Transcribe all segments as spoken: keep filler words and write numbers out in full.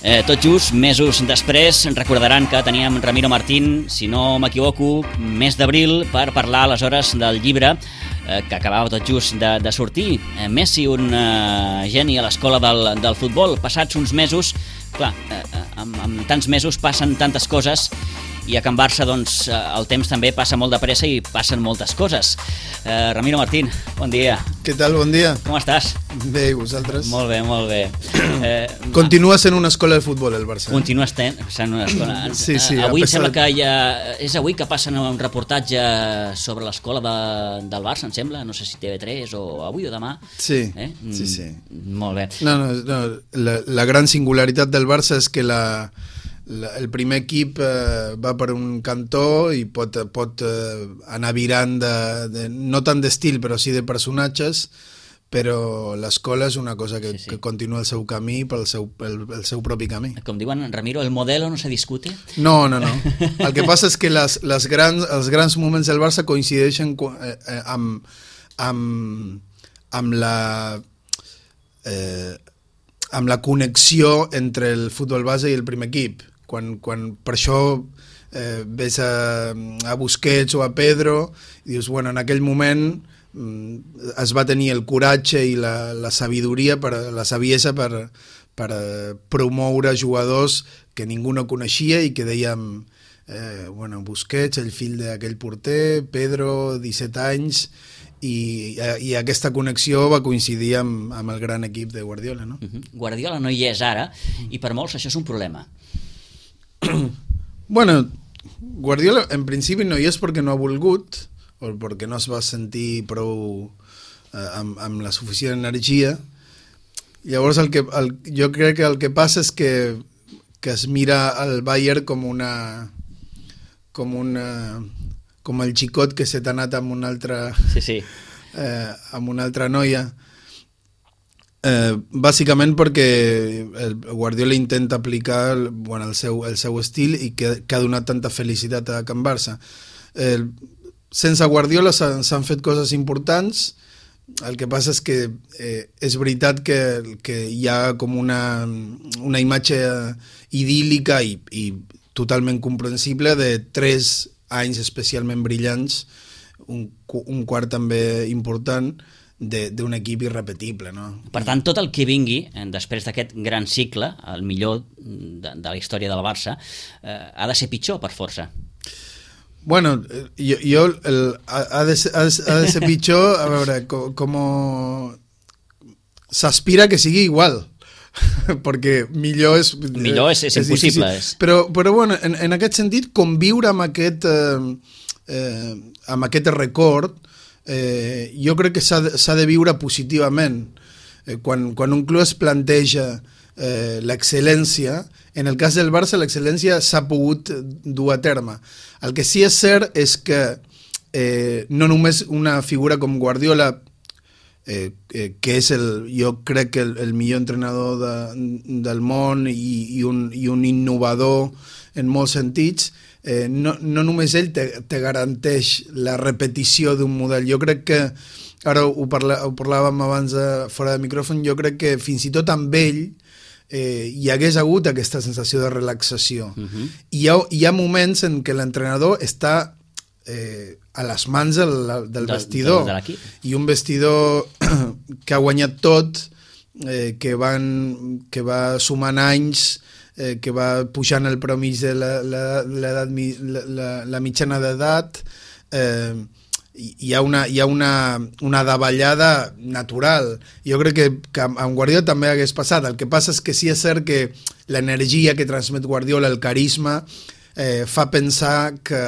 Eh, tot just mesos després recordaran que teníem Ramiro Martín, si no m'equivoco, mes d'abril, per parlar aleshores del llibre eh, que acabava tot just de, de sortir. Eh, Messi, un eh, geni a l'escola del, del futbol. Passats uns mesos, clar, eh, amb, amb tants mesos passen tantes coses, i a Can Barça doncs, el temps també passa molt de pressa i passen moltes coses. Eh, Ramiro Martín, bon dia. Què tal, bon dia? Com estàs? Bé, i vosaltres? Molt bé, molt bé. Eh, Continua sent una escola de futbol, el Barça. Continua sent una escola. Sí, sí. Avui em sembla que ja... És avui que passen un reportatge sobre l'escola de, del Barça, em sembla. No sé si T V tres o avui o demà. Sí, eh? sí, sí. Molt bé. No, no, no. La, la gran singularitat del Barça és que la... La, el primer equip eh, va per un cantó i pot, pot eh, anar virant de, de, no tant d'estil però sí de personatges, però l'escola és una cosa que, sí, sí. que continua el seu camí pel seu, el, el seu propi camí. Com diuen, Ramiro, el modelo no se discute? No, no, no. El que passa és que les, les grans, els grans moments del Barça coincideixen eh, eh, amb, amb, amb la... Eh, amb la connexió entre el futbol base i el primer equip. Quan, quan per això eh, ves a, a Busquets o a Pedro i dius, bueno, en aquell moment mm, es va tenir el coratge i la, la sabidoria, per, la saviesa per, per eh, promoure jugadors que ningú no coneixia i que dèiem, eh, bueno, Busquets, el fill d'aquell porter, Pedro, disset anys, i, i aquesta connexió va coincidir amb, amb el gran equip de Guardiola, no? Uh-huh. Guardiola no hi és ara i per molts això és un problema. Bueno, Guardiola en principi no hi és perquè no ha volgut o perquè no es va sentir prou eh, amb, amb la suficient energia. Llavors el que, el, jo crec que el que passa és que, que es mira el Bayern com una com una com el xicot que se t'ha anat amb una altra sí, sí. Eh, amb una altra noia. Eh, bàsicament perquè el Guardiola intenta aplicar bueno, el, seu, el seu estil i que, que ha donat tanta felicitat a Can Barça. Eh, sense Guardiola s'han fet coses importants, el que passa és que eh, és veritat que, que hi ha com una, una imatge idíl·lica i, i totalment comprensible de tres anys especialment brillants, un, un quart també important, d'un equip irrepetible, no? Per tant, tot el que vingui després d'aquest gran cicle, el millor de, de la història del Barça, eh, ha de ser pitjor per força. Bueno, jo, jo el, ha, de ser, ha de ser pitjor, a veure, com, com s'aspira que sigui igual, perquè millor és... Millor és, és, és impossible. És. Però, però bueno, en, en aquest sentit, conviure amb aquest, eh, eh, amb aquest record, Eh, jo crec que s'ha de, de viure positivament. Eh, quan, quan un club es planteja eh, l'excel·lència, en el cas del Barça l'excel·lència s'ha pogut dur a terme. El que sí és cert és que eh, no només una figura com Guardiola, eh, eh, que és el, jo crec que el, el millor entrenador de, del món i, i, un, i un innovador en molts sentits, Eh, no, no només ell te, te garanteix la repetició d'un model. Jo crec que, ara ho, parla, ho parlàvem abans de, fora de micròfon, jo crec que fins i tot amb ell eh, hi hagués hagut aquesta sensació de relaxació. Uh-huh. I hi ha, hi ha moments en què l'entrenador està eh, a les mans del, del vestidor. De, de I un vestidor que ha guanyat tot, eh, que, van, que va sumant anys, Eh, que va pujant el promís de la, la, la, la, la mitjana d'edat, eh, hi ha una, hi ha una, una davallada natural. Jo crec que, que amb Guardiola també hagués passat. El que passa és que sí és cert que l'energia que transmet Guardiola, el carisma, eh, fa pensar que,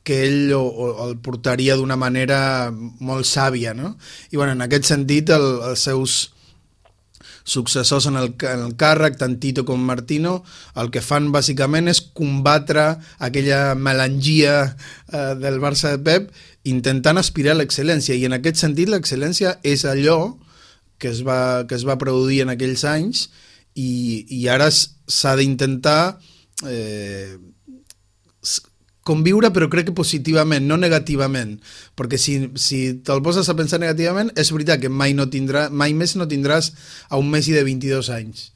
que ell o, o el portaria d'una manera molt sàvia, no? I bueno, en aquest sentit el, els seus successors en el, en el càrrec, tant Tito com Martino, el que fan bàsicament és combatre aquella melangia eh, del Barça de Pep, intentant aspirar a l'excel·lència, i en aquest sentit l'excel·lència és allò que es va, que es va produir en aquells anys, i, i ara s'ha d'intentar eh, conviure, però crec que positivament, no negativament, perquè si, si te'l poses a pensar negativament, és veritat que mai, no tindrà, mai més no tindràs a un Messi de vint-i-dos anys.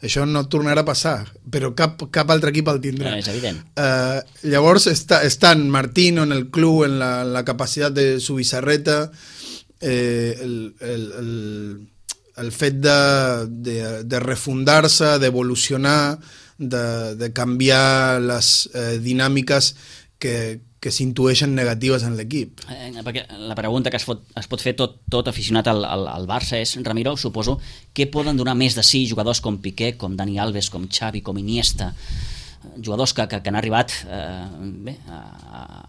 això no tornarà a passar, però cap, cap altre equip el tindrà. No, és evident. Uh, llavors està, estan Martino en el club, en la, en la capacitat de su bizarreta, eh, el, el, el, el fet de, de, de refundar-se, d'evolucionar, de, de canviar les eh, dinàmiques que, que s'intueixen negatives en l'equip. Eh, perquè la pregunta que es pot, es pot fer tot, tot aficionat al, al, al Barça és, Ramiro, suposo, què poden donar més de sí jugadors com Piqué, com Dani Alves, com Xavi, com Iniesta, jugadors que, que, que han arribat eh, bé, a,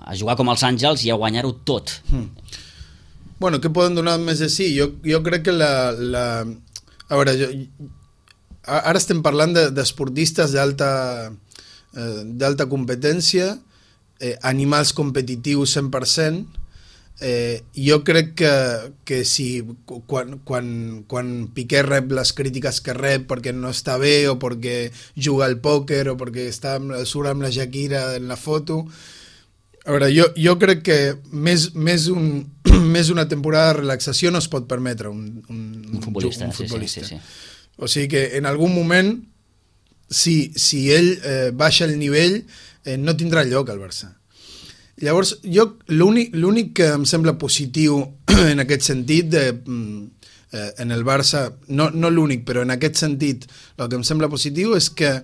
a jugar com els Àngels i a guanyar-ho tot. Hmm. Bueno, què poden donar més de sí? Jo, jo crec que la... la... A veure, jo, ara estem parlant d'esportistes de, d'alta eh, d'alta competència, eh, animals competitius cent per cent. Eh, jo crec que, que si quan, quan, quan Piqué rep les crítiques que rep perquè no està bé o perquè juga al pòquer o perquè està amb, surt amb la Shakira en la foto, a veure, jo, jo crec que més, més, un, més una temporada de relaxació no es pot permetre un, un, un futbolista. Un futbolista. Sí, sí, sí. O sigui que en algun moment, si, si ell eh, baixa el nivell, eh, no tindrà lloc al Barça. Llavors, jo l'únic que em sembla positiu en aquest sentit, de, eh, en el Barça, no, no l'únic, però en aquest sentit, el que em sembla positiu és que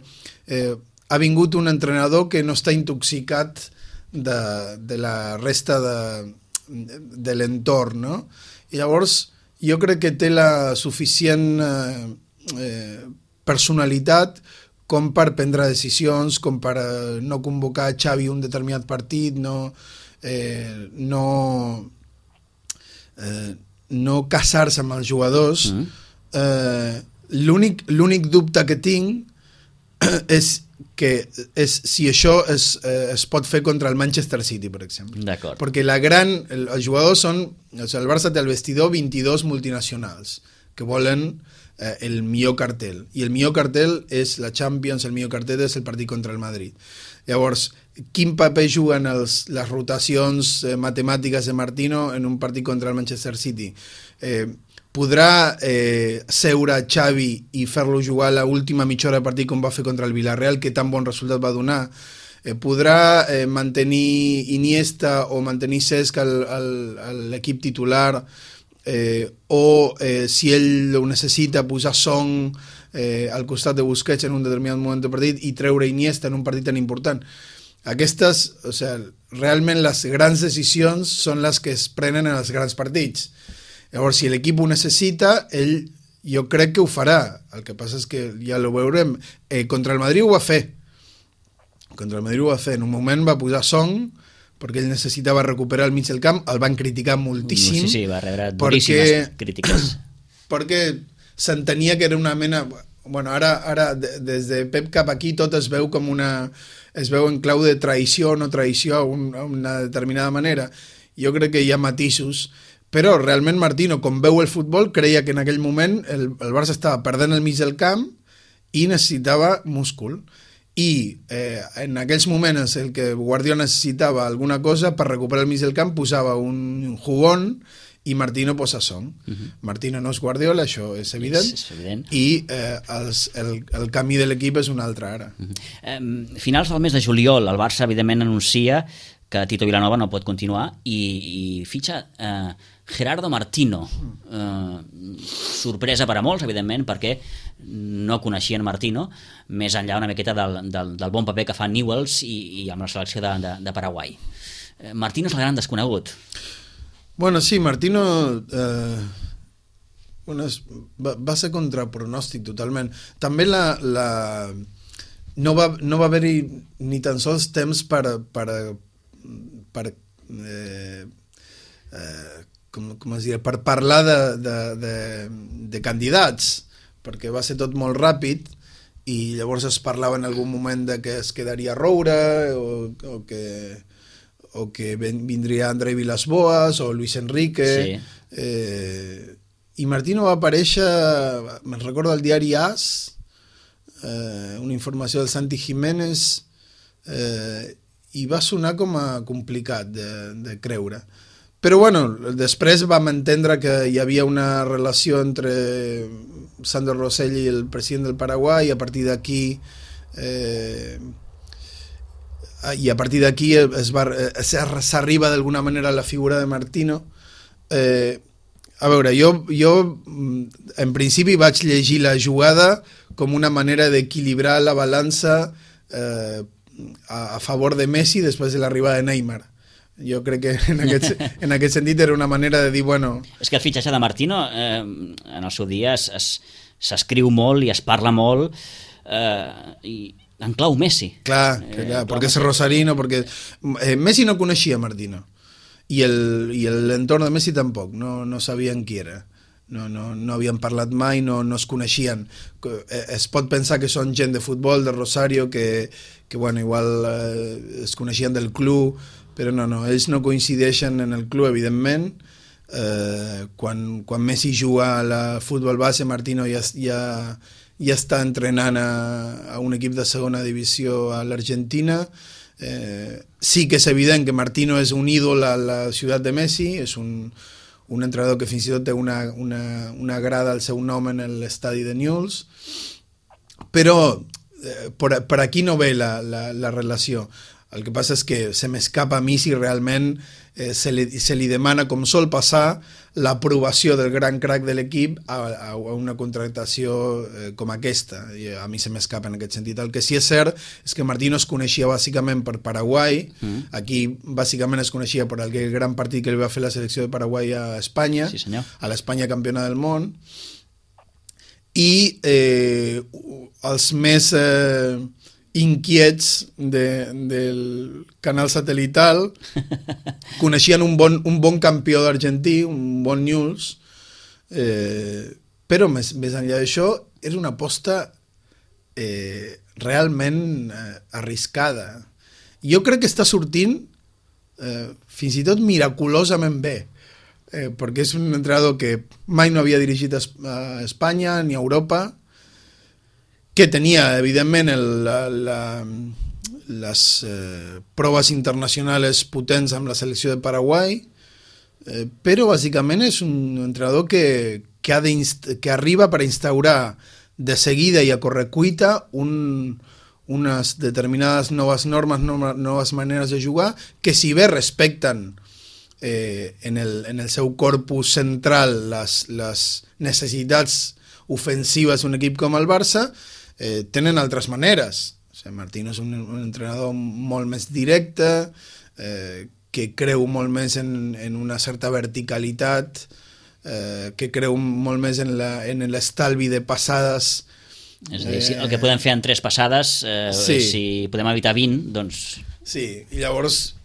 eh, ha vingut un entrenador que no està intoxicat de, de la resta de, de l'entorn, no? I llavors, jo crec que té la suficient... Eh, Eh, personalitat com per prendre decisions, com per eh, no convocar Xavi un determinat partit, no eh, no eh, no casar-se amb els jugadors. Mm. eh, l'únic l'únic dubte que tinc és que és si això es, eh, es pot fer contra el Manchester City, per exemple. D'acord. Perquè la gran, el, els jugadors són, o sigui, el Barça té al vestidor vint-i-dos multinacionals que volen Eh, el millor cartel, i el millor cartel és la Champions, el millor cartel és el partit contra el Madrid. Llavors, quin paper juguen els, les rotacions eh, matemàtiques de Martino en un partit contra el Manchester City? Eh, podrà eh, seure Xavi i fer-lo jugar a l'última mitja hora de partit com va fer contra el Villarreal, que tan bon resultat va donar? Eh, podrà eh, mantenir Iniesta o mantenir Cesc a l'equip titular? Eh, o eh, si ell ho necessita, posar Son eh, al costat de Busquets en un determinat moment de partit i treure Iniesta en un partit tan important. Aquestes, o sigui, realment les grans decisions són les que es prenen en els grans partits. Llavors, si l'equip ho necessita, ell jo crec que ho farà. El que passa és que ja ho veurem. Eh, contra el Madrid ho va fer. Contra el Madrid ho va fer. En un moment va posar Son perquè ell necessitava recuperar el mig del camp, el van criticar moltíssim. Sí, sí, va rebre duríssimes perquè, crítiques. Perquè s'entenia que era una mena... Bueno, ara, ara des de Pep cap aquí tot es veu com una... es veu en clau de traïció o no traïció d'una determinada manera. Jo crec que hi ha matisos, però realment Martino, com veu el futbol, creia que en aquell moment el, el Barça estava perdent el mig del camp i necessitava múscul. I eh, en aquells moments el que Guardiola necessitava alguna cosa per recuperar el mig del camp posava un jugón i Martino posa Son. Uh-huh. Martino no és Guardiola, això és evident, és, és evident. I eh, els, el, el camí de l'equip és un altre ara. Uh-huh. eh, finals del mes de juliol el Barça evidentment anuncia que Tito Vilanova no pot continuar i, i fitxa eh, Gerardo Martino. Eh, sorpresa per a molts, evidentment, perquè no coneixien Martino, més enllà una miqueta del, del, del bon paper que fa Newells i, i amb la selecció de, de, de Paraguai. Eh, Martino és el gran desconegut. Bueno, sí, Martino eh, bueno, es, va, va ser contra pronòstic totalment. També la... la no va, no va haver-hi ni tan sols temps per, per, per eh, eh, com, com es diria, per parlar de, de, de, de candidats, perquè va ser tot molt ràpid i llavors es parlava en algun moment de que es quedaria Roura o, o que o que vindria André Villas-Boas o Luis Enrique. Sí. Eh, i Martino va aparèixer, me'n recordo al diari AS, eh, una informació del Santi Jiménez, eh, i va sonar com a complicat de, de creure. Però bueno, després vam entendre que hi havia una relació entre Sandro Rosell i el president del Paraguai, i a partir d'aquí eh, i a partir d'aquí es va, s'arriba d'alguna manera a la figura de Martino. Eh, a veure, jo, jo en principi vaig llegir la jugada com una manera d'equilibrar la balança eh, a, a favor de Messi després de l'arribada de Neymar. Jo crec que en aquest, en aquest sentit era una manera de dir, bueno... És que el fitxatge de Martino eh, en el seu dia s'escriu molt i es parla molt eh, i en clau Messi. Clar, que, clar eh, perquè és rosarino, perquè eh, Messi no coneixia Martino i el, i l'entorn de Messi tampoc, no, no sabien qui era. No, no, no havien parlat mai, no, no es coneixien. Es pot pensar que són gent de futbol, de Rosario, que, que bueno, igual eh, es coneixien del club, però no, no, ells no coincideixen en el club, evidentment. Eh, quan, quan Messi juga a la futbol base, Martino ja, ja, ja està entrenant a, a un equip de segona divisió a l'Argentina. Eh, sí que és evident que Martino és un ídol a la ciutat de Messi, és un, un entrenador que fins i tot té una, una, una grada al seu nom en l'estadi de Newell's, però eh, per, per aquí no ve la, la, la relació. El que passa és que se m'escapa a mi si realment eh, se, li, se li demana, com sol passar, l'aprovació del gran crack de l'equip a, a una contractació eh, com aquesta. I a mi se m'escapa en aquest sentit. El que sí és cert és que Martino es coneixia bàsicament per Paraguai. Mm. Aquí bàsicament es coneixia per el gran partit que li va fer la selecció de Paraguai a Espanya, sí, senyor. A l'Espanya campiona del món. I eh, els més... Eh, inquiets de, del canal satelital coneixien un bon, un bon campió d'Argentí, un bon Newell's, eh, però més, més enllà d'això és una aposta eh, realment eh, arriscada. Jo crec que està sortint eh, fins i tot miraculosament bé, eh, perquè és un entrenador que mai no havia dirigit a Espanya ni a Europa, que tenia, evidentment, el, la, la, les eh, proves internacionals potents amb la selecció de Paraguai, eh, però bàsicament és un entrenador que, que, ha que arriba per instaurar de seguida i a correcuita un, unes determinades noves normes, noves maneres de jugar, que si bé respecten eh, en, el, en el seu corpus central les, les necessitats ofensives d'un equip com el Barça, Eh, tenen altres maneres. O sigui, Martino és un, un entrenador molt més directe, eh, que creu molt més en, en una certa verticalitat, eh, que creu molt més en l'estalvi de passades. És a dir, si el que podem fer en tres passades, eh, sí. Si podem evitar vint, doncs... Sí, i llavors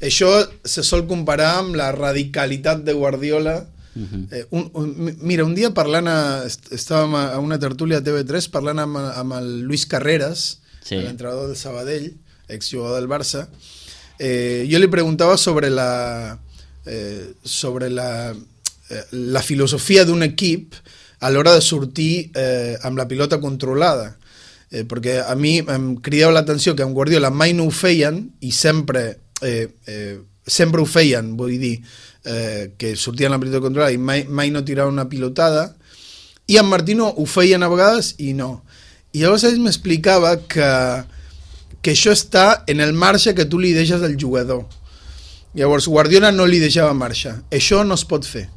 això se sol comparar amb la radicalitat de Guardiola. Uh-huh. eh, un, un, mira, un dia parlant a, estàvem a una tertúlia a T V tres parlant amb, amb el Luis Carreras, sí. L'entrenador del Sabadell, exjugador del Barça. eh, jo li preguntava sobre la eh, sobre la, eh, la filosofia d'un equip a l'hora de sortir eh, amb la pilota controlada, eh, perquè a mi em cridava l'atenció que amb Guardiola mai no ho feien i sempre eh, eh, sempre ho feien, vull dir Eh, que sortien la pilota controlada i mai, mai no tiraven una pilotada, i en Martino ho feien a vegades i no. I llavors ell m'explicava que, que això està en el marge que tu li deixes al jugador. Llavors Guardiola no li deixava marxa. Això no es pot fer.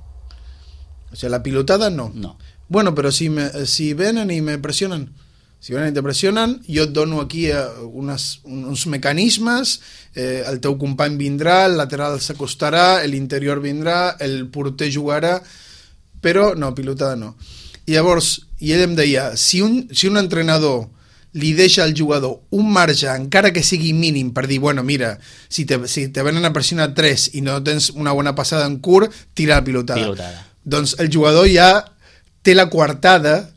O sigui, la pilotada no. No. Bueno, però si, me, si venen i me pressionen, si venen i te pressionen, jo et dono aquí unes, uns mecanismes, eh, el teu company vindrà, el lateral s'acostarà, l'interior vindrà, el porter jugarà, però no, pilotada no. I llavors, i ell em deia, si un, si un entrenador li deixa al jugador un marge, encara que sigui mínim, per dir, bueno, mira, si te, si te venen a pressionar tres i no tens una bona passada en curt, tira la pilotada. pilotada. Doncs el jugador ja té la coartada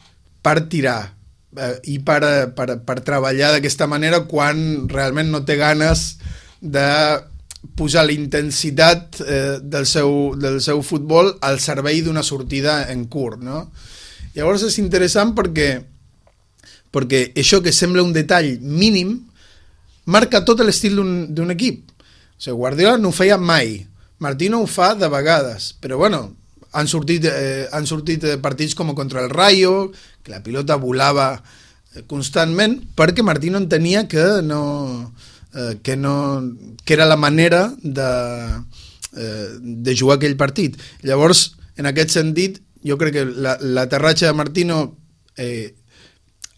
per tirar i per, per, per treballar d'aquesta manera quan realment no té ganes de posar la intensitat eh, del, seu, del seu futbol al servei d'una sortida en curt, no? Llavors és interessant perquè, perquè això que sembla un detall mínim marca tot l'estil d'un equip. O sigui, Guardiola no ho feia mai, Martino ho fa de vegades, però bueno, han sortit, eh, han sortit partits com contra el Rayo, que la pilota volava constantment, perquè Martino entenia que no, eh, que no que era la manera de, eh, de jugar aquell partit. Llavors, en aquest sentit, jo crec que l'aterratge de Martino eh,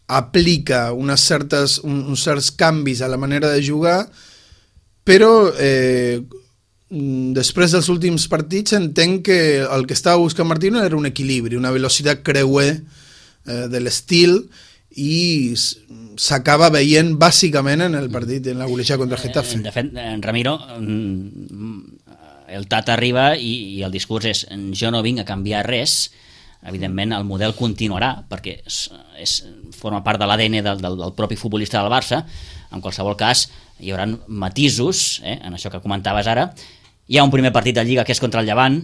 aplica unes certes, un, uns certs canvis a la manera de jugar, però eh, després dels últims partits entenc que el que estava buscant Martino era un equilibri, una velocitat creuer eh, de l'estil, i s'acaba veient bàsicament en el partit, en la golejada contra el Getafe. De fet, Ramiro, el Tata arriba i, i el discurs és jo no vinc a canviar res. Evidentment el model continuarà perquè és, és, forma part de l'A D N del, del, del propi futbolista del Barça. En qualsevol cas hi haurà matisos, eh, en això que comentaves ara. Hi ha un primer partit de Lliga que és contra el Llevant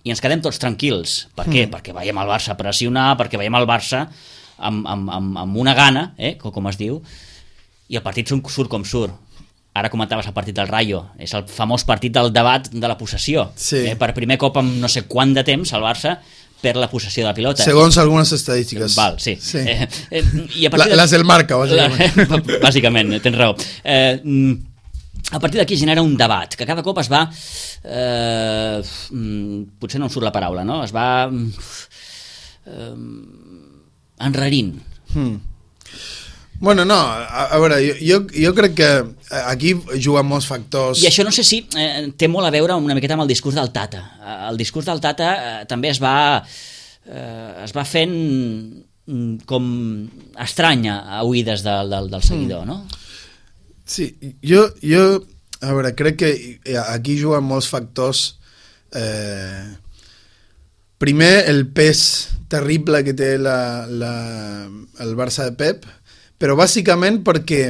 i ens quedem tots tranquils. Per què? Mm. Perquè veiem el Barça pressionar, perquè veiem el Barça amb, amb, amb, amb una gana, eh, com, com es diu, i el partit surt com surt. Ara comentaves el partit del Rayo, és el famós partit del debat de la possessió. Sí. Eh, per primer cop en no sé quant de temps el Barça perd la possessió de la pilota. Segons algunes estadístiques. Val, sí. sí. Eh, eh, i a la, de... Les del Marca, bàsicament. La, bàsicament, tens raó. Eh, a partir d'aquí genera un debat, que cada cop es va... Eh, potser no em surt la paraula, no? Es va... Eh, enrarint. Hmm. Bueno, no, a, a veure, jo, jo crec que aquí juguen molts factors. I això no sé si eh, té molt a veure una miqueta amb el discurs del Tata. El discurs del Tata eh, també es va eh, es va fent com estranya a oïdes del, del, del seguidor, mm. no? Sí, jo, jo a veure, crec que aquí juguen molts factors. Eh, primer, el pes terrible que té la, la, el Barça de Pep, però bàsicament perquè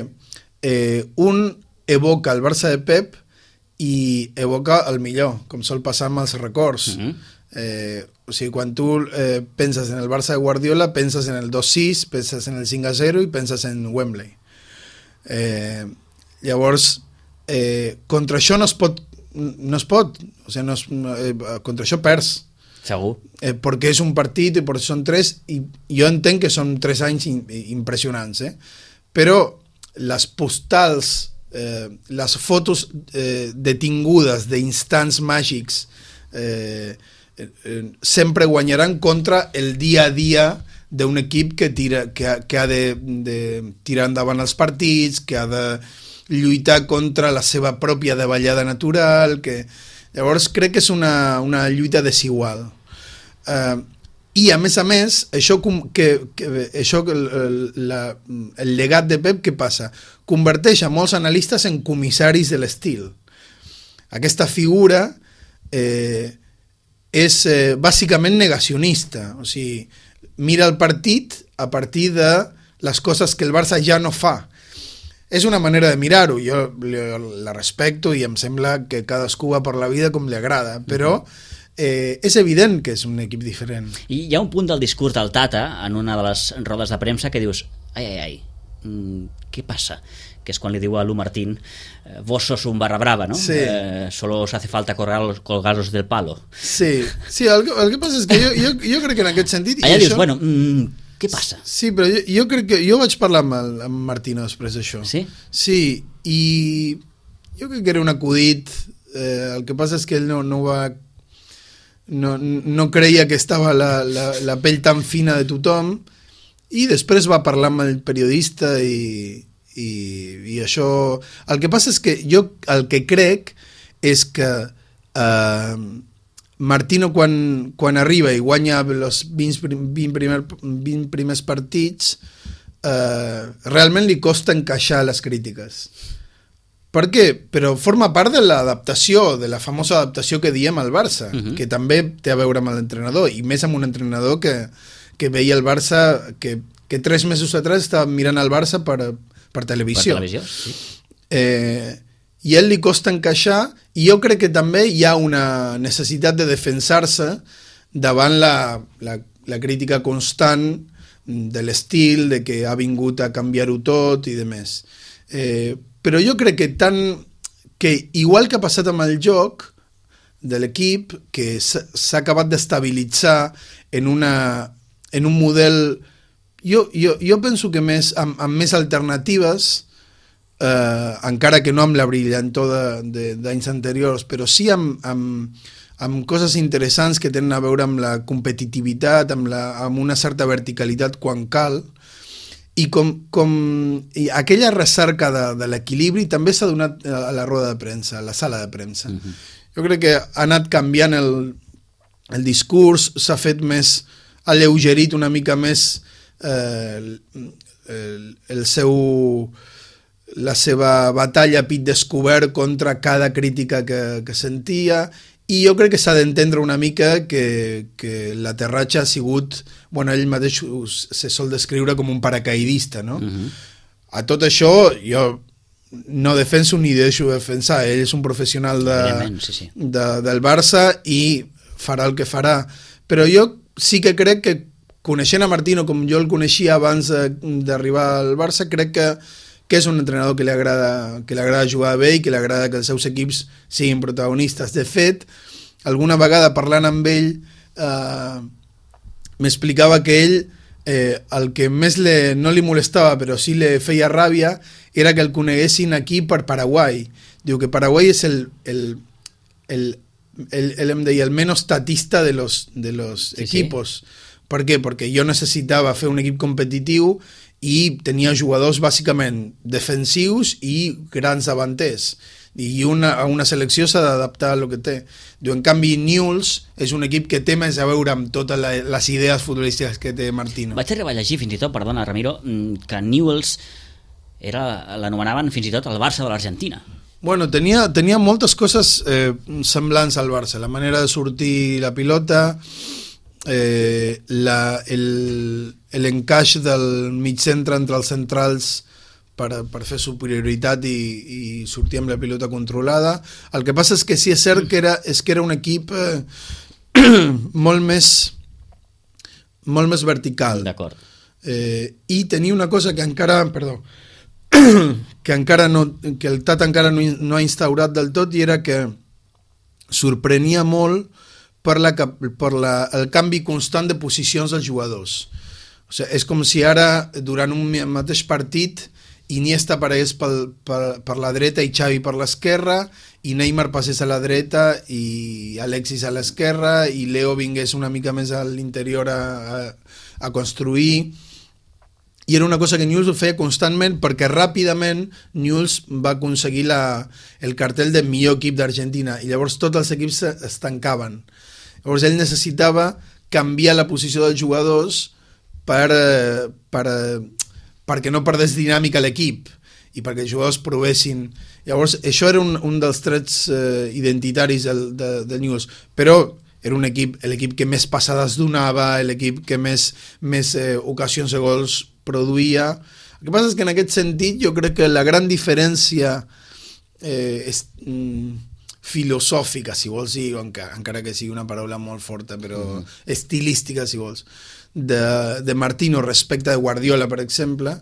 eh, un evoca el Barça de Pep i evoca el millor, com sol passar amb els records. Mm-hmm. eh, o sigui, quan tu eh, penses en el Barça de Guardiola, penses en el dos sis, penses en el cinc a zero i penses en Wembley. Eh, llavors, eh, contra això no es pot, no es pot, o sigui, no es, eh, contra això perds. Segur. Eh, perquè és un partit i perquè són tres, i jo entenc que són tres anys in, impressionants, eh? Però les postals, eh, les fotos eh, detingudes d'instants màgics eh, eh, sempre guanyaran contra el dia a dia d'un equip que, tira, que, ha, que ha de, de tirar endavant els partits, que ha de lluitar contra la seva pròpia davallada natural, que... Llavors crec que és una, una lluita desigual. Uh, I a més a més, això, que, que, això el, la, el llegat de Pep, què passa? Converteix a molts analistes en comissaris de l'estil. Aquesta figura eh, és eh, bàsicament negacionista. O sigui, mira el partit a partir de les coses que el Barça ja no fa. És una manera de mirar-ho, jo la respecto i em sembla que cadascú va per la vida com li agrada, però eh, és evident que és un equip diferent. I hi ha un punt del discurs del Tata en una de les rodes de premsa que dius, ai, ai, ai, mm, què passa? Que és quan li diu a Lu Martín, vos sos un barra brava, ¿no? Sí. Eh, solo os hace falta colgarlos del palo. Sí, sí, el, el que passa és que jo, jo, jo crec que en aquest sentit... Allà dius, això... bueno... Mm, què passa? Sí, però jo, jo crec que... Jo vaig parlar amb, el, amb Martino després d'això. Sí? Sí, i jo crec que era un acudit. Eh, el que passa és que ell no, no va... No, no creia que estava la, la, la pell tan fina de tothom, i després va parlar amb el periodista i, i, i això... El que passa és que jo el que crec és que... Eh, Martino quan, quan arriba i guanya els vint, vint, primer, vint primers partits eh, realment li costa encaixar les crítiques. Per què? Però forma part de l'adaptació, de la famosa adaptació que diem al Barça, uh-huh. que també té a veure amb l'entrenador, i més amb un entrenador que, que veia el Barça, que, que tres mesos atrás estava mirant el Barça per, per televisió. Per televisió, sí. Eh, i a ell li costa encaixar, i jo crec que també hi ha una necessitat de defensar-se davant la, la, la crítica constant de l'estil, de que ha vingut a canviar-ho tot i demés. Eh, però jo crec que tant que igual que ha passat amb el joc de l'equip, que s'ha acabat d'estabilitzar en, una, en un model, jo, jo, jo penso que més, amb, amb més alternatives, eh, encara que no amb la brillantor d'anys anteriors, però sí amb, amb, amb coses interessants que tenen a veure amb la competitivitat, amb, la, amb una certa verticalitat quan cal, i com, com i aquella recerca de, de l'equilibri també s'ha donat a la roda de premsa, a la sala de premsa. Uh-huh. Jo crec que ha anat canviant el, el discurs, s'ha fet més alleugerit una mica més eh, el, el seu, la seva batalla a pit descobert contra cada crítica que, que sentia, i jo crec que s'ha d'entendre una mica que, que l'aterratge ha sigut, bueno, ell mateix se sol descriure com un paracaidista, no? Uh-huh. A tot això jo no defenso ni deixo defensar, ell és un professional de, sí, sí. De, del Barça i farà el que farà, però jo sí que crec que coneixent a Martino com jo el coneixia abans d'arribar al Barça, crec que que és un entrenador que li agrada, que li agrada jugar bé i que li agrada que els seus equips siguin protagonistes. De fet, alguna vegada parlant amb ell, eh, m'explicava que ell, eh, el que més le, no li molestava, però sí li feia ràbia, era que el coneguessin aquí per Paraguai. Diu que Paraguai és el, el, el, el, el, em deia, el menos tatista de los, de los sí, equipos. Sí. Per què? Perquè jo necessitava fer un equip competitiu i tenia jugadors bàsicament defensius i grans davanters, i una, una selecció s'ha d'adaptar a lo que té. Diu, en canvi Newell's és un equip que té més a veure amb totes les idees futbolístiques que té Martino. Vaig arribar a llegir fins i tot, perdona Ramiro, que Newell's l'anomenaven fins i tot el Barça de l'Argentina. Bueno, tenia, tenia moltes coses eh, semblants al Barça, la manera de sortir la pilota, eh, la, el, l'encaix del mig centre entre els centrals per, per fer superioritat i, i sortir amb la pilota controlada. El que passa és que sí és cert que era, és que era un equip eh, molt més molt més vertical. D'acord. Eh, I tenia una cosa que encara, perdó, que encara no, que el Tata encara no, no ha instaurat del tot, i era que sorprenia molt per, la, per la, el canvi constant de posicions dels jugadors. O sigui, és com si ara, durant un mateix partit, Iniesta aparegués pel, per, per la dreta i Xavi per l'esquerra, i Neymar passés a la dreta i Alexis a l'esquerra, i Leo vingués una mica més a l'interior a, a, a construir. I era una cosa que Newell's ho feia constantment, perquè ràpidament Newell's va aconseguir la, el cartell de millor equip d'Argentina, i llavors tots els equips es tancaven. Llavors ell necessitava canviar la posició dels jugadors per, per, perquè no perdés dinàmica l'equip i perquè els jugadors provessin. Llavors això era un, un dels trets eh, identitaris del, de, del Newell's, però era un equip, l'equip que més passades donava, l'equip que més, més eh, ocasions de gols produïa. El que passa és que en aquest sentit jo crec que la gran diferència eh, és, mm, filosòfica, si vols dir, encara, encara que sigui una paraula molt forta, però mm. estilística, si vols, de, de Martino respecte de Guardiola, per exemple,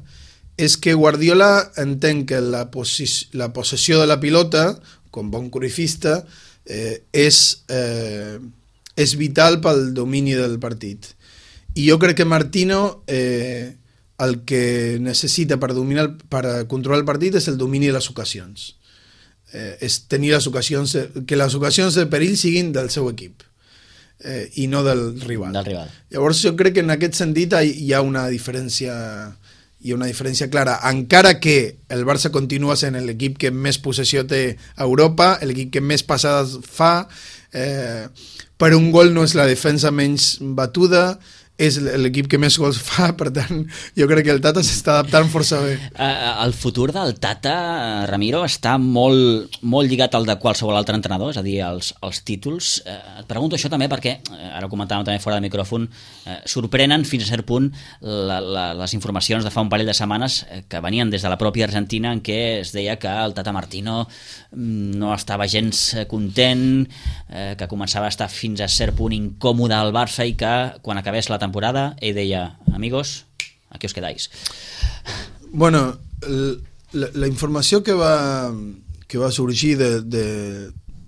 és que Guardiola entén que la, posi- la possessió de la pilota, com bon cruifista, eh, és, eh, és vital pel domini del partit. I jo crec que Martino eh, el que necessita per, dominar, per controlar el partit és el domini de les ocasions. Eh, és tenir les ocasions, que les ocasions de perill siguin del seu equip eh, i no del rival. del rival. Llavors jo crec que en aquest sentit hi ha una diferència hi ha una diferència clara, encara que el Barça continua sent l'equip que més possessió té a Europa, l'equip que més passades fa, eh, per un gol no és la defensa menys batuda, és l'equip que més gols fa, per tant jo crec que el Tata s'està adaptant força bé. El futur del Tata, Ramiro, està molt, molt lligat al de qualsevol altre entrenador, és a dir, als, als títols. Et pregunto això també perquè, ara ho comentàvem també fora de micròfon, sorprenen fins a cert punt la, la, les informacions de fa un parell de setmanes que venien des de la pròpia Argentina, en què es deia que el Tata Martino no estava gens content, que començava a estar fins a cert punt incòmode al Barça i que quan acabés la temporada ell deia, amigos, aquí os quedáis. Bueno, la, la informació que va, que va sorgir de, de,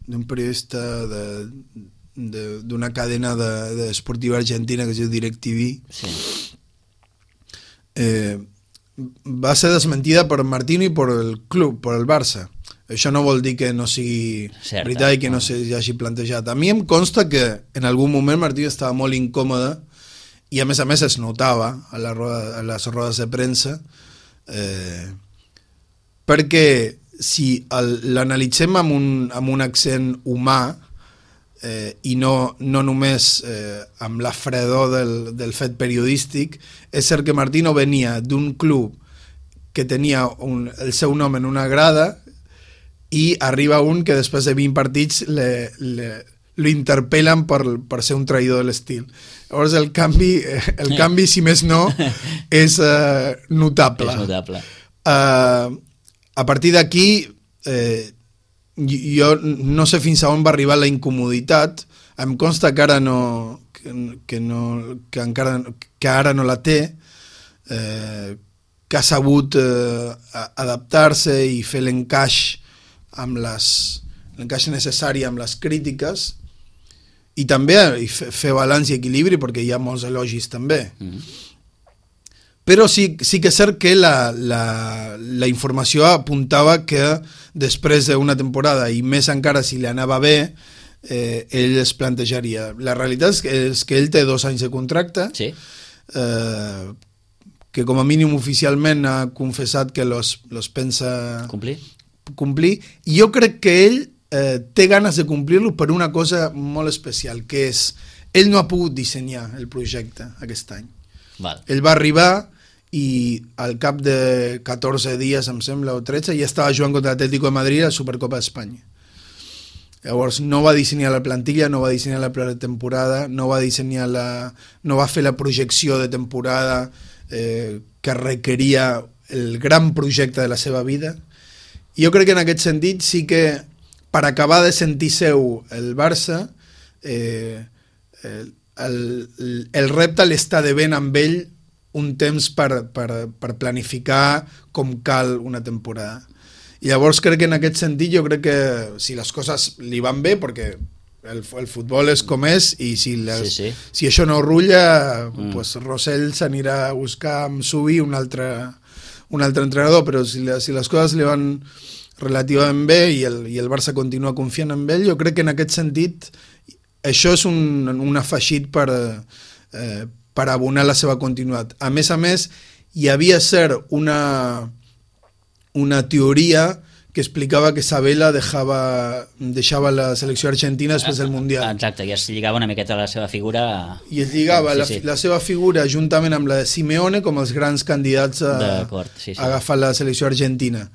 d'un periodista de, de, d'una cadena de, de esportiva argentina que es diu DirecTV. Sí. Eh, va ser desmentida per Martino i per el club, per el Barça. Això no vol dir que no sigui Certa, veritat i que no no. s'hi hagi plantejat. A mi em consta que en algun moment Martino estava molt incòmode i a més a més es notava a, la roda, a les rodes de premsa, eh, perquè si el, l'analitzem amb un, amb un accent humà eh, i no, no només eh, amb la fredor del, del fet periodístic, és cert que Martino venia d'un club que tenia un, el seu nom en una grada i arriba un que després de vint partits le, le, lo interpel·len per, per ser un traïdor de l'estil. Llavors el canvi, el canvi si més no, és eh, notable. És notable. Uh, a partir d'aquí, eh, jo no sé fins a on va arribar la incomoditat. Em consta que ara no, que, que no, que encara, que ara no la té, eh, que ha sabut eh, adaptar-se i fer l'encaix amb les, l'encaix necessari amb les crítiques i també i fer balanç i equilibri perquè hi ha molts elogis també. Mm-hmm. Però sí, sí que és cert que la, la, la informació apuntava que després d'una temporada i més encara si li anava bé eh, ell es plantejaria. La realitat és que, és que ell té dos anys de contracte, sí. eh, que com a mínim oficialment ha confessat que los, los pensa complir. complir, i jo crec que ell eh, té ganes de complir-lo per una cosa molt especial, que és ell no ha pogut dissenyar el projecte aquest any. Val. Ell va arribar i al cap de catorze dies, em sembla, o tretze, ja estava jugant contra l'Atlético de Madrid a la Supercopa d'Espanya. Llavors no va dissenyar la plantilla, no va dissenyar la pretemporada, no va dissenyar la, no va fer la projecció de temporada eh, que requeria el gran projecte de la seva vida. I jo crec que en aquest sentit sí que per acabar de sentir seu el Barça eh, el, el, el repte l'està devent amb ell un temps per, per, per planificar com cal una temporada. I llavors crec que en aquest sentit jo crec que si les coses li van bé, perquè el, el futbol és com és i si, les, sí, sí. si això no rulla mm. pues Rosell s'anirà a buscar amb Subi un altre, un altre entrenador, però si, si les coses li van relativament bé i el, i el Barça continua confiant en ell, jo crec que en aquest sentit això és un, un afegit per, eh, per abonar la seva continuïtat. A més a més, hi havia cert una, una teoria que explicava que Sabella dejava, deixava la selecció argentina després del Mundial. Exacte, i es lligava una miqueta a la seva figura. I es lligava sí, la, sí. la seva figura juntament amb la de Simeone com els grans candidats a, sí, sí. a agafar la selecció argentina.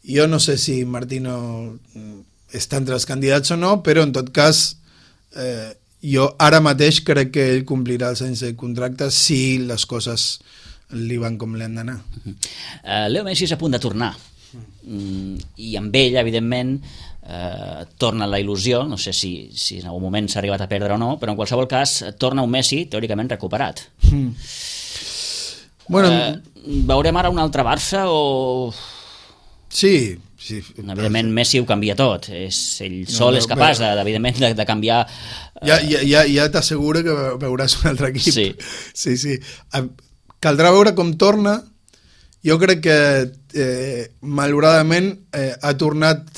Jo no sé si Martino està entre els candidats o no, però en tot cas eh, jo ara mateix crec que ell complirà els anys de contracte si les coses li van com li han d'anar. Uh-huh. uh, Leo Messi és a punt de tornar. Mm, i amb ell, evidentment, eh, torna la il·lusió, no sé si, si en algun moment s'ha arribat a perdre o no, però en qualsevol cas torna un Messi teòricament recuperat. Mm. Bueno, eh, veurem ara un altre Barça o... Sí, sí. Evidentment Messi ho canvia tot, és, ell sol no, no, és capaç de, evidentment de, de canviar... Eh... Ja, ja, ja, ja t'asseguro que veuràs un altre equip. Sí. Sí, sí. Caldrà veure com torna. Jo crec que eh, malauradament eh, ha tornat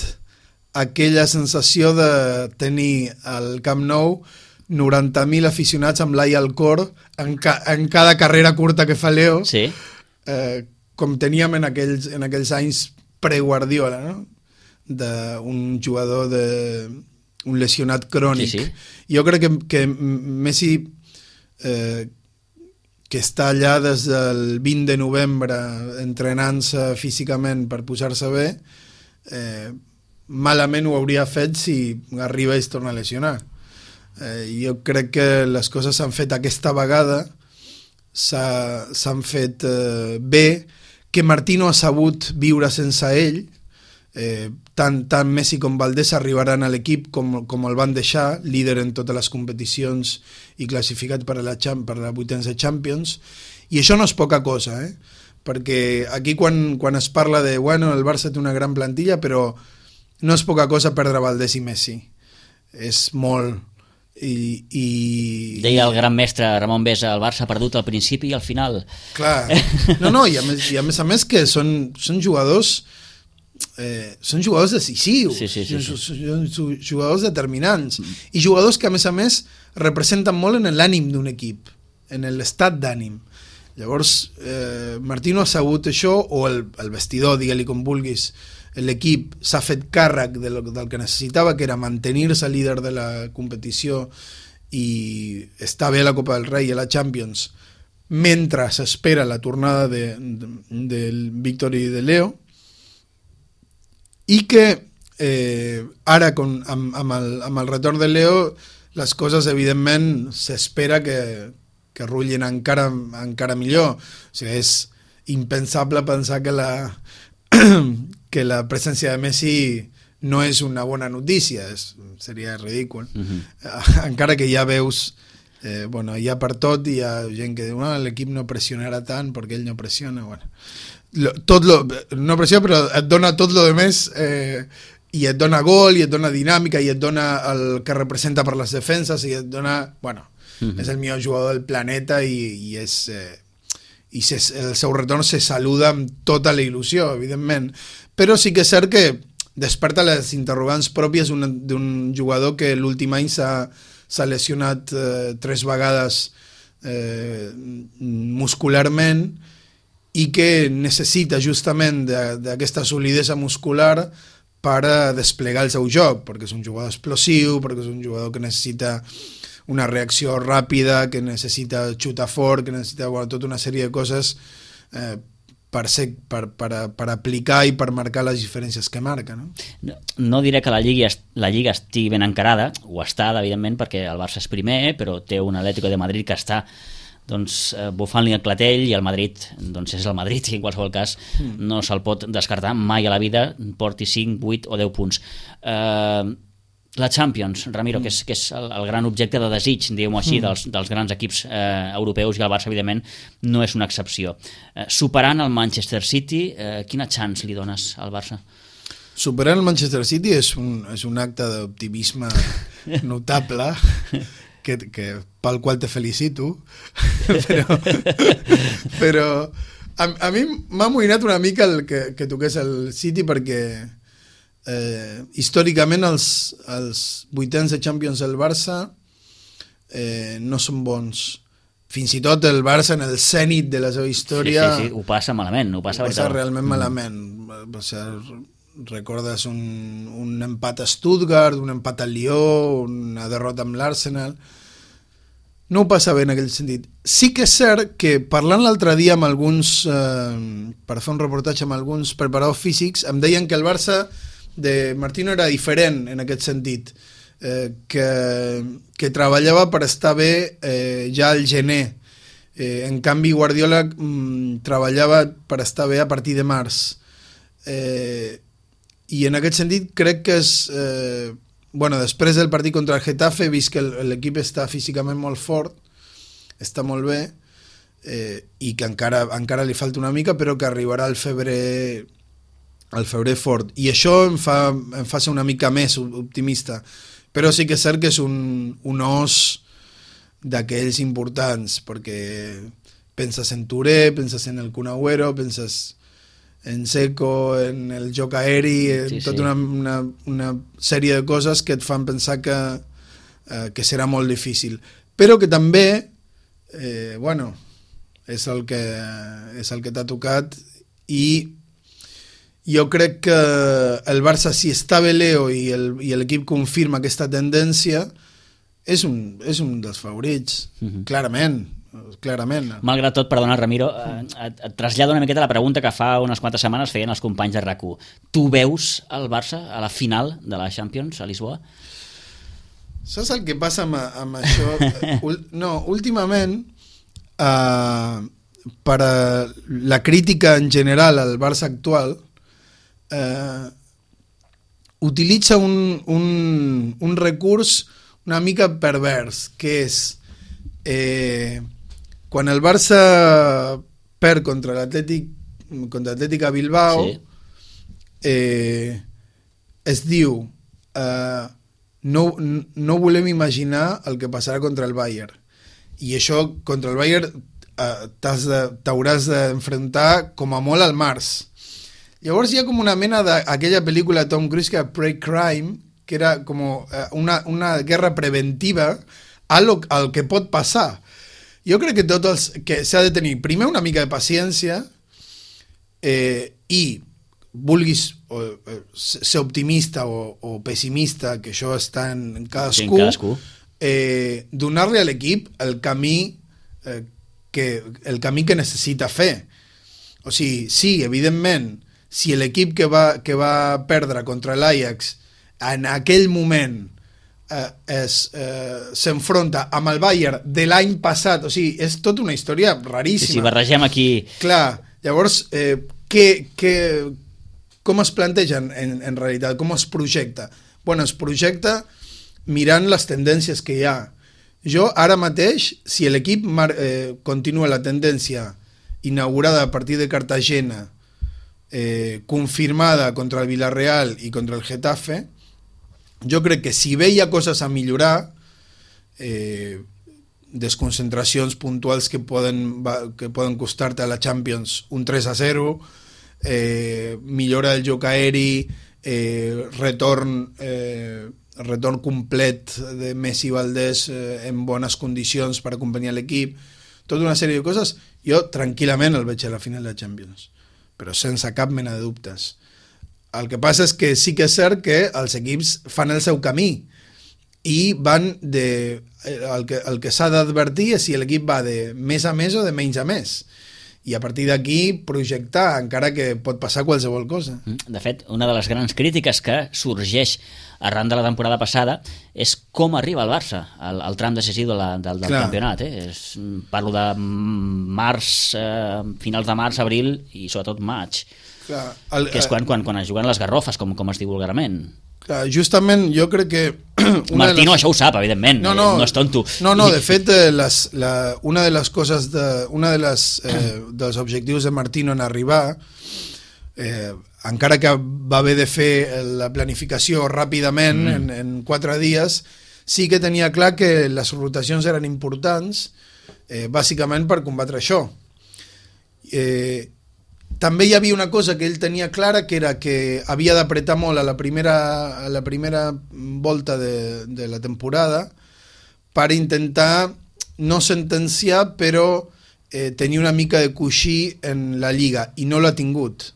aquella sensació de tenir al Camp Nou noranta mil aficionats amb l'ai al cor en, ca en cada carrera curta que fa Leo, sí. eh, com teníem en aquells, en aquells anys pre-Guardiola, no? D'un jugador de un lesionat crònic. Sí, sí. Jo crec que, que Messi eh, que està allà des del vint de novembre entrenant-se físicament per posar-se bé, eh, malament ho hauria fet si arriba i es torna a lesionar. Eh, jo crec que les coses s'han fet aquesta vegada, s'han fet eh, bé, que Martino ha sabut viure sense ell, eh, tant, tant Messi com Valdés arribaran a l'equip com, com el van deixar, líder en totes les competicions i classificat per a la, per a la vuitens de Champions, i això no és poca cosa, eh? Perquè aquí quan, quan es parla de, bueno, el Barça té una gran plantilla, però no és poca cosa perdre Valdés i Messi. És molt... I, i... Deia el gran mestre Ramon Besa, el Barça ha perdut al principi i al final. Clar, no, no, i a més, i a més a més que són, són jugadors eh, són jugadors decisius, sí, sí, sí, sí. Són, són jugadors determinants mm. i jugadors que a més a més representen molt en l'ànim d'un equip, en l'estat d'ànim. Llavors eh, Martino ha sabut això, o el, el vestidor, digue-li com vulguis, l'equip s'ha fet càrrec del, del que necessitava, que era mantenir-se líder de la competició i estar bé a la Copa del Rei i a la Champions mentre s'espera la tornada de, de, del Víctor i de Leo, i que eh, ara con, amb, amb, el, amb el retorn de Leo les coses evidentment s'espera que, que rutllin encara, encara millor. O sigui, és impensable pensar que la que la presència de Messi no és una bona notícia, és, seria ridícul. Uh-huh. Encara que ja veus, eh, bueno, ja per tot hi ha gent que diu, no, l'equip no pressionarà tant perquè ell no pressiona. Bueno, lo, tot lo, no pressiona, però et dona tot lo de més, eh, i et dona gol, i et dona dinàmica, i et dona el que representa per les defenses, i et dona, bueno, uh-huh. és el millor jugador del planeta i, i és... Eh, i se, el seu retorn se saluda amb tota la il·lusió, evidentment, però sí que és cert que desperta les interrogants pròpies d'un jugador que l'últim any s'ha lesionat eh, tres vegades eh, muscularment i que necessita justament d'aquesta solidesa muscular per desplegar el seu joc, perquè és un jugador explosiu, perquè és un jugador que necessita una reacció ràpida, que necessita xutar fort, que necessita, bueno, tota una sèrie de coses eh, per, ser, per, per, per aplicar i per marcar les diferències que marca. No, no, no diré que la Lliga, la Lliga estigui ben encarada, ho està, evidentment, perquè el Barça és primer, però té un Atlético de Madrid que està doncs, bufant-li el clatell, i el Madrid doncs, és el Madrid, i en qualsevol cas mm. no se'l pot descartar mai a la vida, porti cinc, vuit o deu punts. Eh... La Champions, Ramiro, que és, que és el, el gran objecte de desig, diguem-ho així, dels, dels grans equips eh, europeus, i el Barça, evidentment, no és una excepció. Eh, superant el Manchester City, eh, quina chance li dones al Barça? Superant el Manchester City és un, és un acte d'optimisme notable, que, que, pel qual te felicito, però, però a, a mi m'ha amoïnat una mica el que, que toqués el City, perquè Eh, històricament els, els vuitens de Champions del Barça eh, no són bons. Fins i tot el Barça en el zènit de la seva història sí, sí, sí, ho passa malament, ho passa, ho passa realment malament. O sigui, recordes un, un empat a Stuttgart, un empat a Lió, una derrota amb l'Arsenal. No ho passa bé en aquell sentit. Sí que és cert que parlant l'altre dia amb alguns eh, per fer un reportatge amb alguns preparadors físics, em deien que el Barça de Martino era diferent en aquest sentit, eh, que, que treballava per estar bé eh, ja al gener. Eh, en canvi Guardiola mm, treballava per estar bé a partir de març. Eh, I en aquest sentit crec que és... Eh, bueno, després del partit contra el Getafe he vist que l'equip està físicament molt fort, està molt bé, eh, i que encara, encara li falta una mica, però que arribarà al febrer... al febrer fort, i això em fa, em fa ser una mica més optimista, però sí que és cert que és un, un os d'aquells importants, perquè penses en Touré, penses en el Kun Agüero, penses en Seco, en el joc aeri, en sí, tota sí. Una, una, una sèrie de coses que et fan pensar que, eh, que serà molt difícil, però que també eh, bueno, és el que, és el que t'ha tocat, i jo crec que el Barça, si està bé Leo i l'equip confirma aquesta tendència, és un, és un dels favorits, uh-huh. clarament, clarament. Malgrat tot, perdona, Ramiro, et, et trasllado una miqueta la pregunta que fa unes quantes setmanes feien els companys de RAC u. Tu veus el Barça a la final de la Champions a Lisboa? Saps el que passa amb, amb això? No, últimament, uh, per a la crítica en general al Barça actual, Uh, utilitza un, un, un recurs una mica pervers, que és eh, quan el Barça perd contra l'Atlètic contra l'Atlètic a Bilbao, sí. eh, es diu uh, no, no volem imaginar el que passarà contra el Bayern, i això contra el Bayern uh, t'hauràs d'enfrontar com a molt al març. Llavors hi ha com una mena d'aquella pel·lícula de Tom Cruise que era Pre-Crime, que era com una, una guerra preventiva a lo, al que pot passar. Jo crec que tot els, que s'ha de tenir primer una mica de paciència eh, i vulguis o, eh, ser optimista o, o pessimista, que això està en cadascú, sí, en cadascú. Eh, donar-li a l'equip el camí eh, que, el camí que necessita fer. O sigui, sí, evidentment, si l'equip que va, que va perdre contra l'Ajax en aquell moment eh, eh, s'enfronta amb el Bayern de l'any passat, o sigui, és tota una història raríssima. Sí, sí, barregem aquí... Clar, llavors, eh, què, què, com es plantegen en, en realitat, com es projecta? Bueno, es projecta mirant les tendències que hi ha. Jo, ara mateix, si l'equip eh, continua la tendència inaugurada a partir de Cartagena, Eh, confirmada contra el Villarreal i contra el Getafe, jo crec que si bé hi ha coses a millorar, eh, desconcentracions puntuals que poden, que poden costar-te a la Champions un tres a zero, eh, millora del joc aeri, eh, retorn eh, retorn complet de Messi i Valdés eh, en bones condicions per acompanyar l'equip, tota una sèrie de coses, jo tranquil·lament el veig a la final de la Champions, però sense cap mena de dubtes. El que passa és que sí que és cert que els equips fan el seu camí i van de... El que, el que s'ha d'advertir és si l'equip va de més a més o de menys a més. I a partir d'aquí projectar, encara que pot passar qualsevol cosa. De fet, una de les grans crítiques que sorgeix arran de la temporada passada és com arriba el Barça al, al tram decisiu de la, del, del campionat. Eh? És, parlo de març, eh, finals de març, abril i sobretot maig. Clar, el, que és quan, quan, quan es juguen les garrofes, com, com es diu vulgarment. Clar, justament jo crec que... Martino les... això ho sap, evidentment, no, no, no és tonto. No, no, de fet, eh, les, la, una de les coses, de, una de les, eh, dels objectius de Martino en arribar, eh, encara que va haver de fer la planificació ràpidament, mm. en, en quatre dies, sí que tenia clar que les rotacions eren importants, eh, bàsicament per combatre això. Eh, també hi havia una cosa que ell tenia clara, que era que havia d'apretar molt a la primera, a la primera volta de, de la temporada per intentar no sentenciar, però eh, tenir una mica de coixí en la Lliga, i no l'ha tingut.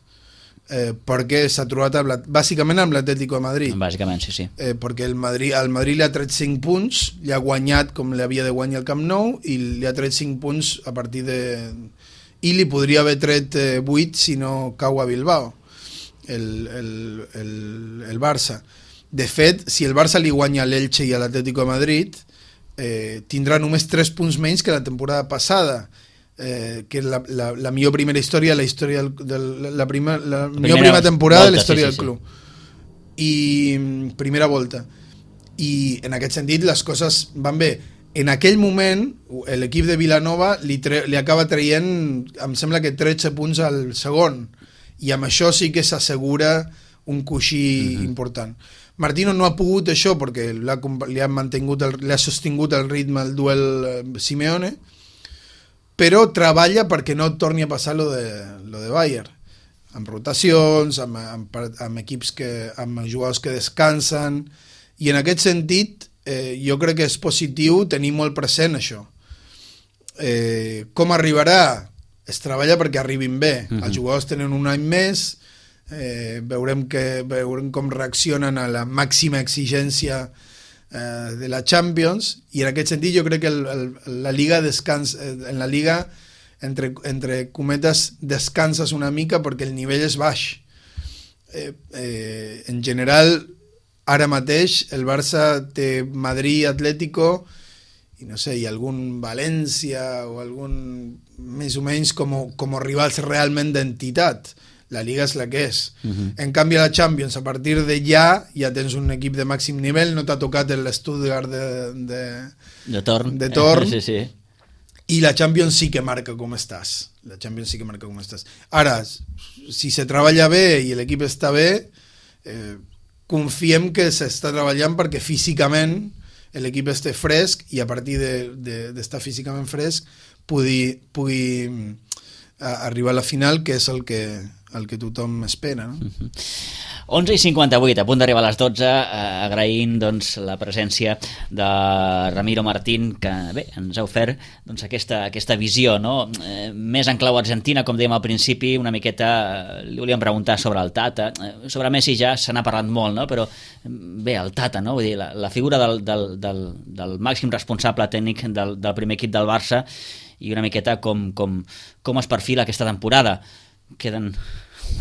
Eh, perquè s'ha trobat amb la, bàsicament amb l'Atlético de Madrid. Bàsicament, sí, sí. Eh, perquè el Madrid, el Madrid li ha tret cinc punts, li ha guanyat com li havia de guanyar el Camp Nou, i li ha tret cinc punts a partir de... I li podria haver tret eh, vuit si no cau a Bilbao, el, el, el, el Barça. De fet, si el Barça li guanya a l'Elche i a l'Atlético de Madrid, eh, tindrà només tres punts menys que la temporada passada, Eh, que és la, la, la millor primera història, la història del, del, la, prima, la, la millor primera temporada volta, de la història sí, sí, del club. Sí. I primera volta. I en aquest sentit les coses van bé. En aquell moment l'equip de Vilanova li, tre, li acaba traient, em sembla que tretze punts al segon, i amb això sí que s'assegura un coixí uh-huh. important. Martino no ha pogut això perquè li ha, mantingut el, li ha sostingut el ritme al duel Simeone, però treballa perquè no torni a passar lo de, lo de Bayern, amb rotacions, amb, amb, amb equips que, amb jugadors que descansen, i en aquest sentit eh, jo crec que és positiu tenir molt present això. Eh, com arribarà? Es treballa perquè arribin bé. Uh-huh. Els jugadors tenen un any més, eh, veurem, que, veurem com reaccionen a la màxima exigència de la Champions, i en aquest sentit jo crec que el, el, la Liga descansa, en la Liga entre, entre cometes descanses una mica perquè el nivell és baix. Eh, eh, en general ara mateix el Barça té Madrid, Atlético i no sé, hi ha algun València o algun més o menys com, com rivals realment d'entitat. La Liga és la que és. Uh-huh. En canvi, a la Champions, a partir de ja, ja tens un equip de màxim nivell, no t'ha tocat l'Stuttgart de, de, de torn, de torn sí, sí. I la Champions sí que marca com estàs. La Champions sí que marca com estàs. Ara, si se treballa bé i l'equip està bé, eh, confiem que s'està treballant perquè físicament l'equip esté fresc i a partir d'estar de, de, físicament fresc pugui, pugui arribar a la final, que és el que, el que tothom espera, no? Uh-huh. onze i cinquanta-vuit, a punt d'arribar a les dotze, eh, agraint doncs, la presència de Ramiro Martín, que bé, ens ha ofert doncs, aquesta, aquesta visió, no? eh, més en clau argentina, com dèiem al principi, una miqueta, eh, li volíem preguntar sobre el Tata, eh, sobre Messi ja se n'ha parlat molt, no? Però bé, el Tata, no? Vull dir, la, la figura del, del, del, del màxim responsable tècnic del, del primer equip del Barça, i una miqueta com, com, com es perfila aquesta temporada. Queden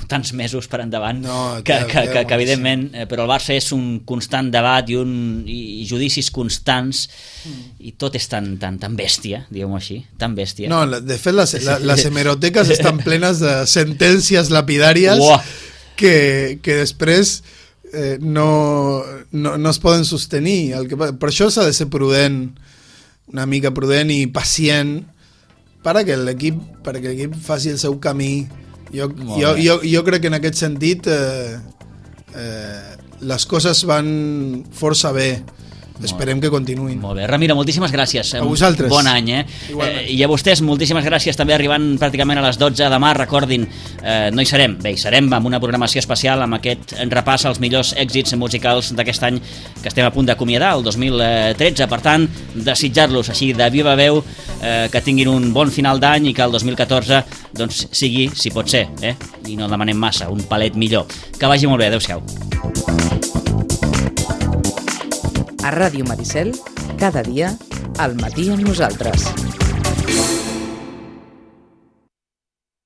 tants mesos per endavant no, que, que, que, que evidentment, eh, però el Barça és un constant debat i, un, i judicis constants mm. i tot és tan, tan, tan bèstia, diguem-ho així, tan bèstia. No, de fet les, la, les hemeroteques estan plenes de sentències lapidàries que, que després eh, no, no, no es poden sostenir. El que, per això s'ha de ser prudent, una mica prudent i pacient perquè l'equip perquè l'equip faci el seu camí. Jo, jo, jo, jo crec que en aquest sentit eh, eh, les coses van força bé. Esperem que continuïn. Molt bé. Ramiro, moltíssimes gràcies. A vosaltres. Bon any, eh? eh? I a vostès, moltíssimes gràcies, també arribant pràcticament a les dotze demà. Recordin, eh, no hi serem. Bé, hi serem amb una programació especial amb aquest repàs als millors èxits musicals d'aquest any que estem a punt d'acomiadar, el dos mil tretze. Per tant, desitjar-los així de viva veu eh, que tinguin un bon final d'any i que el dos mil catorze doncs, sigui, si pot ser, eh? I no demanem massa, un palet millor. Que vagi molt bé. Adéu-siau. A Ràdio Maricel, cada dia, al matí amb nosaltres.